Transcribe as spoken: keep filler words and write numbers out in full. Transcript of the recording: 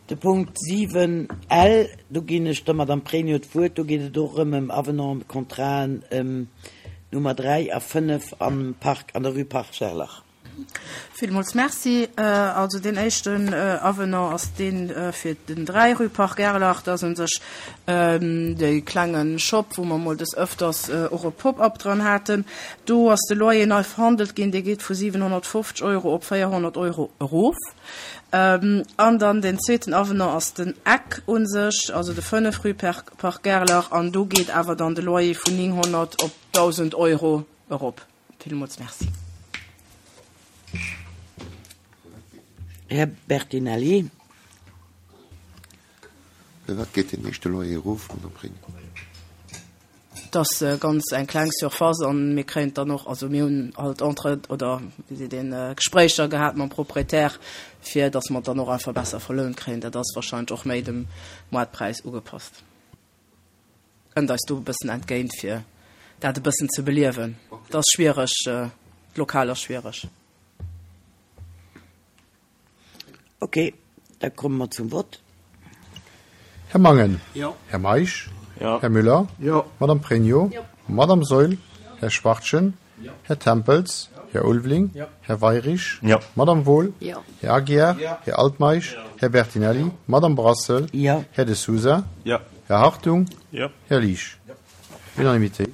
De Punkt siwen L, do ginn ech der Madame Pregno d'Wuert, do geet et och erëm ëm Avenant, ëm Contraten, ëm Nummer dräi a fënnef am Park, an der Rue Parc Gerlach. Villmools Merci. Also deen éischten Avenant ass dee fir den dräi Rue Parc Gerlach. Dat ass u sech dee klenge Shop, wou mer mol des Ëfters och e Pop-up dran haten. Do ass de Loyer nei verhandelt ginn, dee geet vu siwenhonnertfofzeg Euro op véierhonnert Euro erof. An dann deen zweeten Avenant ass den Eck u sech, also de fënnef Rue Parc Gerlach, an do geet awer dann de Loyer vun nénghonnert op dausend Euro erop. Villmools Merci. Här Bertinelli. Firwat geet deen éischte Loyer erof, Madame Pregno? Et ass ganz eng kleng Surface an mir kréien dann och, also mir hunn halt entre oder wéi seet een, Gespréicher gehat mam Proprietär, fir datt mer dann och einfach besser verlount kréien. Dat ass wahrscheinlech och méi dem Moartpräis ugepasst. Kënnt eis do e bëssen entgéint, fir dat e bëssen ze beliewen. Et ass schwiereg, d'Lokal ass schwiereg. Ok, da komme mer zum Vott. Här Mangen. Jo. Här Meisch. Jo. Här Müller. Jo. Madame Pregno. Jo. Madame Saeul. Här Schwachtgen. Jo. Här Tempels. Här Ulveling. Jo. Här Weirich. Jo. Madame Wohl. Jo. Här Aguiar. Jo. Här Altmeisch. Här Bertinelli. Madame Brassel. Jo. Här De Sousa. Jo. Här Hartung. Jo. Här Liesch. Unanimité.